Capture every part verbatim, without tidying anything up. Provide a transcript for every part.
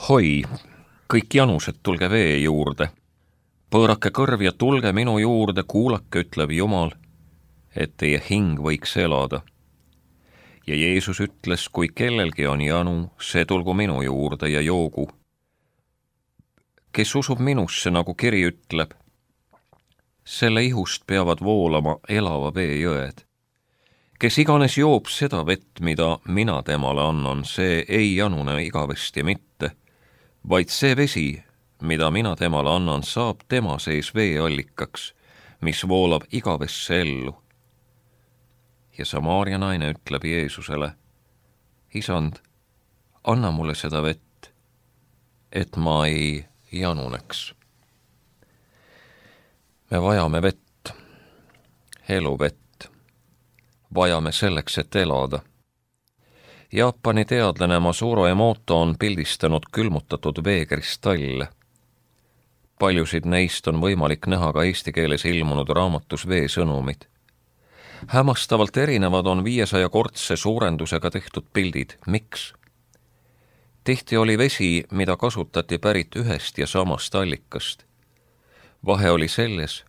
Hoi, kõik janused, tulge vee juurde. Pöörake kõrv ja tulge minu juurde, kuulake, ütleb Jumal, et teie hing võiks elada. Ja Jeesus ütles, kui kellelgi on janu, see tulgu minu juurde ja joogu. Kes usub minusse, nagu kiri ütleb, selle ihust peavad voolama elava vee jõed. Kes iganes joob seda vett, mida mina temale annan, see ei janune igavesti mitte, vaid see vesi, mida mina temale annan, saab tema sees veeallikaks, mis voolab igavesse ellu. Ja Samaaria naine ütleb Jeesusele, Isand, anna mulle seda vett, et ma ei januneks. Me vajame vett, eluvett, vajame selleks, et elada. Jaapani teadlane Masuro Emoto on pildistanud külmutatud veekristalle. Paljusid neist on võimalik näha ka eesti keeles ilmunud raamatus Veesõnumid. Hämmastavalt erinevad on viiesajakordse suurendusega tehtud pildid. Miks? Tihti oli vesi, mida kasutati pärit ühest ja samast allikast. Vahe oli selles,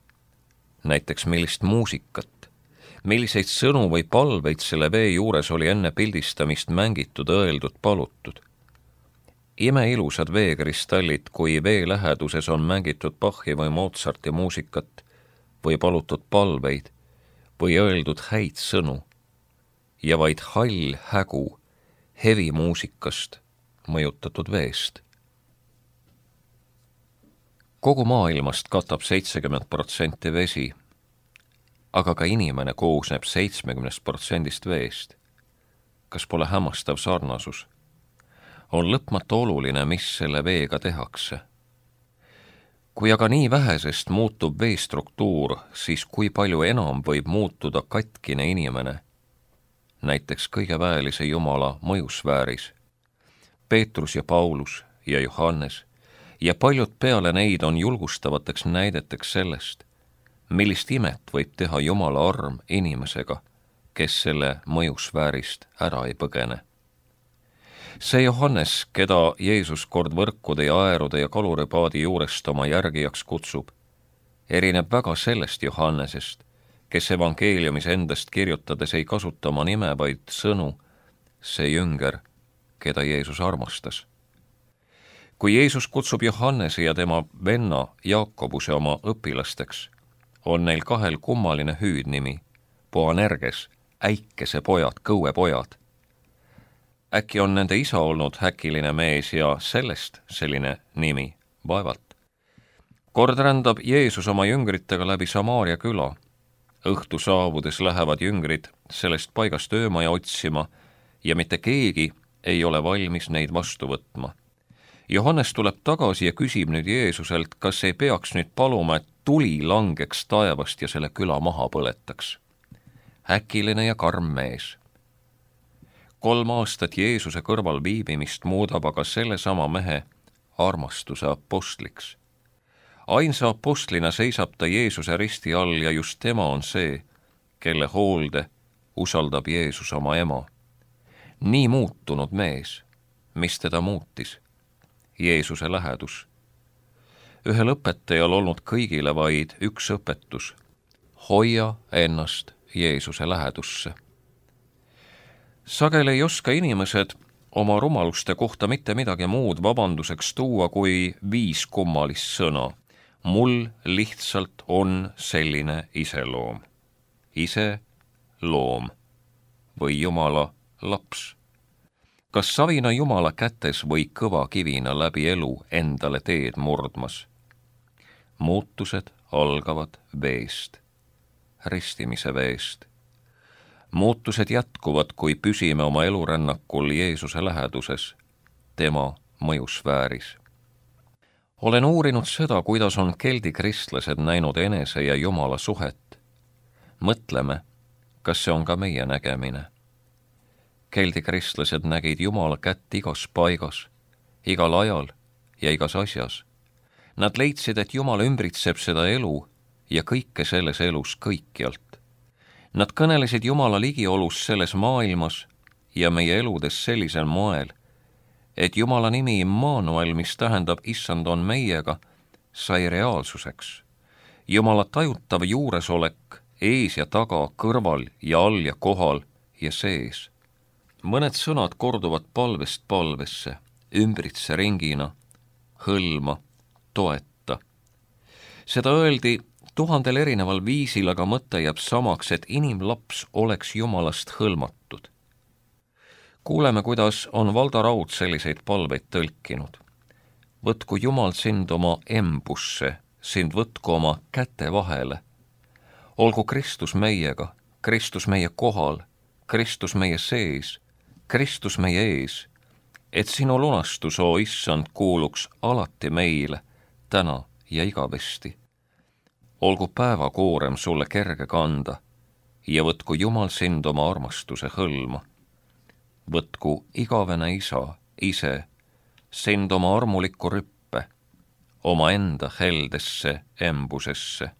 näiteks millist muusikat, milliseid sõnu või palveid selle vee juures oli enne pildistamist mängitud, õeldud, palutud. Imeilusad veekristallid, kui vee läheduses on mängitud Bachi või Mozarti muusikat või palutud palveid või õeldud häid sõnu ja vaid hall hägu hevi muusikast mõjutatud veest. Kogu maailmast katab seitsekümmend protsenti vesi, aga ka inimene koosneb seitsekümmend protsendist veest. Kas pole hämmastav sarnasus? On lõpmatu oluline, mis selle veega tehakse. Kui aga nii vähesest muutub vee struktuur, siis kui palju enam võib muutuda katkine inimene, näiteks kõige väelise Jumala mõjusfääris. Peetrus ja Paulus ja Johannes ja paljud peale neid on julgustavateks näideteks sellest, millist imet võib teha Jumala arm inimesega, kes selle mõjusfäärist ära ei põgene. See Johannes, keda Jeesus kord võrkude ja aerude ja kaluripaadi juurest oma järgijaks kutsub, erineb väga sellest Johannesest, kes evangeeliumis endast kirjutades ei kasuta oma nime, vaid sõnu, see jünger, keda Jeesus armastas. Kui Jeesus kutsub Johannese ja tema venna Jaakobuse oma õpilasteks, on neil kahel kummaline hüüdnimi, Boanerges, äikese pojad, kõue pojad. Äkki on nende isa olnud häkiline mees ja sellest selline nimi, vaevalt. Kord rändab Jeesus oma jüngritega läbi Samaaria küla. Õhtu saabudes lähevad jüngrid sellest paigast öömaja otsima ja mitte keegi ei ole valmis neid vastu võtma. Johannes tuleb tagasi ja küsib nüüd Jeesuselt, kas ei peaks nüüd paluma, et tuli langeks taevast ja selle küla maha põletaks. Häkiline ja karm mees. Kolm aastat Jeesuse kõrval viibimist muudab aga selle sama mehe armastuse apostliks. Ainsa apostlina seisab ta Jeesuse risti all ja just tema on see, kelle hoolde usaldab Jeesus oma ema. Nii muutunud mees, mis teda muutis? Jeesuse lähedus. Ühel õpetajal olnud kõigile vaid üks õpetus. Hoia ennast Jeesuse lähedusse. Sageli ei oska inimesed oma rumaluste kohta mitte midagi muud vabanduseks tuua kui viis kummalist sõna. Mul lihtsalt on selline iseloom. Ise loom või Jumala laps. Kas savina Jumala kätes või kõva kivina läbi elu endale teed murdmas? Muutused algavad veest, ristimise veest. Muutused jätkuvad, kui püsime oma elurännakul Jeesuse läheduses, tema mõjusfääris. Olen uurinud seda, kuidas on keldi kristlased näinud enese ja Jumala suhet. Mõtleme, kas see on ka meie nägemine. Keldi kristlased nägid Jumala kätt igas paigas, igal ajal ja igas asjas. Nad leidsid, et Jumal ümbritseb seda elu ja kõike selles elus kõikjalt. Nad kõnelesid Jumala ligiolus selles maailmas ja meie eludes sellisel moel, et Jumala nimi Immanuel, mis tähendab issand on meiega, sai reaalsuseks. Jumala tajutav juuresolek ees ja taga, kõrval ja all ja kohal ja sees. Mõned sõnad korduvad palvest palvesse, ümbritse ringina, hõlma, toeta. Seda öeldi tuhandel erineval viisil, aga mõte jääb samaks, et inimlaps oleks Jumalast hõlmatud. Kuuleme, kuidas on Valdo Raud selliseid palveid tõlkinud. Võtku Jumal sind oma embusse, sind võtku oma käte vahele. Olgu Kristus meiega, Kristus meie kohal, Kristus meie sees, Kristus meie ees, et sinu lunastus, o issand, kuuluks alati meile, täna ja igavesti. Olgu päevakoorem sulle kerge kanda ja võtku Jumal sind oma armastuse hõlma. Võtku igavene isa, ise, sind oma armulikku rüppe, oma enda heldesse embusesse.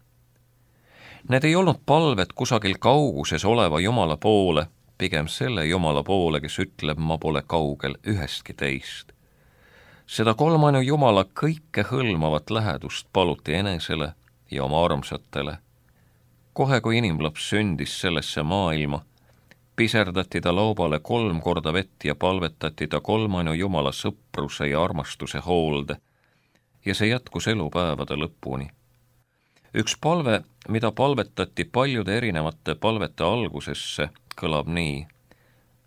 Need ei olnud palved kusagil kauguses oleva Jumala poole, pigem selle Jumala poole, kes ütleb, ma pole kaugel ühestki teist. Seda kolmainu Jumala kõike hõlmavat lähedust paluti enesele ja oma armsatele. Kohe, kui inimlaps sündis sellesse maailma, piserdati ta laubale kolm korda vett ja palvetati ta kolmainu Jumala sõpruse ja armastuse hoolde ja see jätkus elupäevade lõpuni. Üks palve, mida palvetati paljude erinevate palvete algusesse, kõlab nii.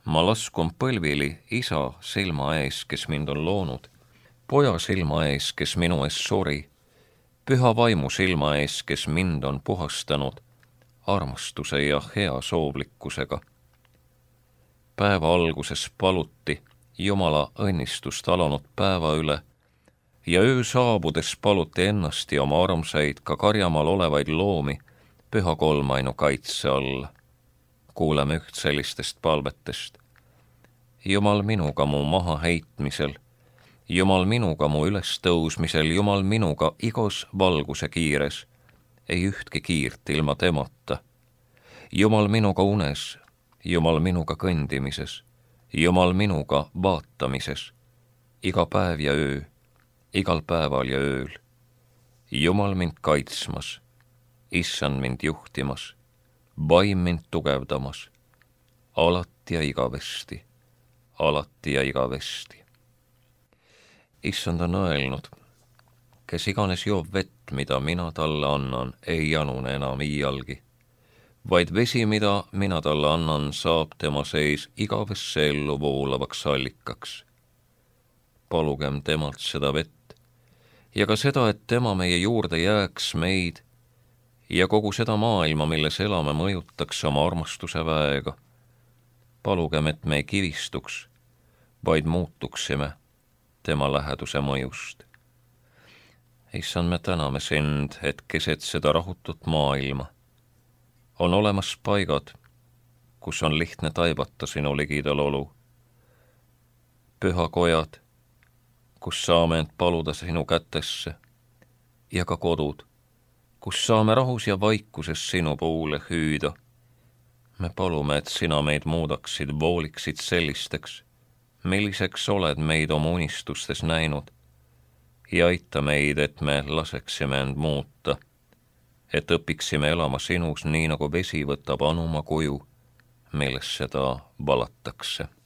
Ma laskun põlvili isa silma ees, kes mind on loonud, poja silma ees, kes minu ees suri, püha vaimu silma ees, kes mind on puhastanud, armastuse ja hea soovlikkusega. Päeva alguses paluti Jumala õnnistust alanud päeva üle ja öö saabudes paluti ennast ja oma armsaid ka karjamaal olevaid loomi püha kolmainu kaitse alla. Kuuleme üht sellistest palvetest. Jumal minuga mu maha heitmisel, Jumal minuga mu ülestõusmisel, Jumal minuga igos valguse kiires, ei ühtki kiirt ilma temata. Jumal minuga unes, Jumal minuga kõndimises, Jumal minuga vaatamises, iga päev ja öö, igal päeval ja ööl. Jumal mind kaitsmas, issand mind juhtimas, vaim mind tugevdamas, alati ja igavesti, alati ja igavesti. Issand on öelnud, kes iganes joob vett, mida mina talle annan, ei janune enam iialgi, vaid vesi, mida mina talle annan, saab tema sees igavesse ellu voolavaks allikaks. Palugem temalt seda vett ja ka seda, et tema meie juurde jääks meid ja kogu seda maailma, milles elame, mõjutaks oma armastuse väega. Palugem, et me ei kivistuks, vaid muutuksime tema läheduse mõjust. Issand, me täname sind, et keset seda rahutut maailma on olemas paigad, kus on lihtne taibata sinu ligidal olu. Pühakojad, kus saame end paluda sinu kätesse, ja ka kodud, kus saame rahus ja vaikuses sinu poole hüüda. Me palume, et sina meid muudaksid, vooliksid sellisteks, milliseks oled meid oma unistustes näinud, ja aita meid, et me laseksime end muuta, et õpiksime elama sinus nii, nagu vesi võtab anuma kuju, millest seda valatakse.